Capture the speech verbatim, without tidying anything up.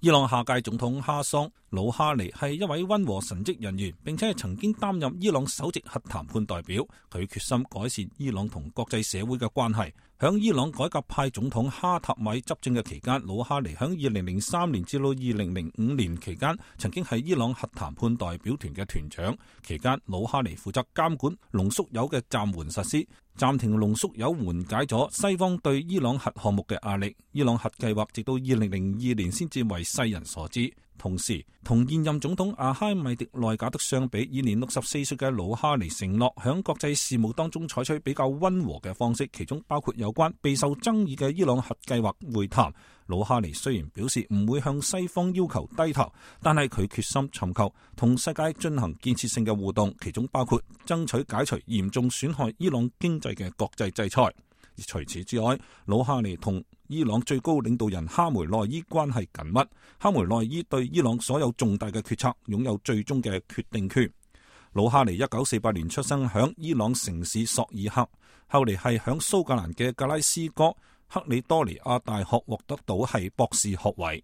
伊朗下屆總統哈桑·魯哈尼係一位溫和神職人員，並且係曾經擔任伊朗首席核談判代表。佢決心改善伊朗同國際社會嘅關係。響伊朗改革派總統哈塔米執政嘅期間，魯哈尼響二零零三年至到二零零五年期間，曾經係伊朗核談判代表團嘅團長。期間，魯哈尼負責監管濃縮鈾嘅暫緩實施，暫停濃縮鈾緩解咗西方對伊朗核項目嘅壓力。伊朗核計劃直到二零零二年先至為世人所知。同時，同現任總統阿哈米迪內賈德相比，現年六十四歲嘅魯哈尼承諾響國際事務當中採取比較溫和嘅方式，其中包括有關備受爭議嘅伊朗核計劃會談。魯哈尼雖然表示唔會向西方要求低頭，但係佢決心尋求同世界進行建設性嘅互動，其中包括爭取解除嚴重損害伊朗經濟嘅國際制裁。除此之外，魯哈尼同伊朗最高領導人哈梅內伊關係緊密，哈梅內伊對伊朗所有重大嘅決策擁有最終嘅決定權。魯哈尼一九四八年出生響伊朗城市索爾克，後嚟係響蘇格蘭嘅格拉斯哥克里多尼亞大學獲得到係博士學位。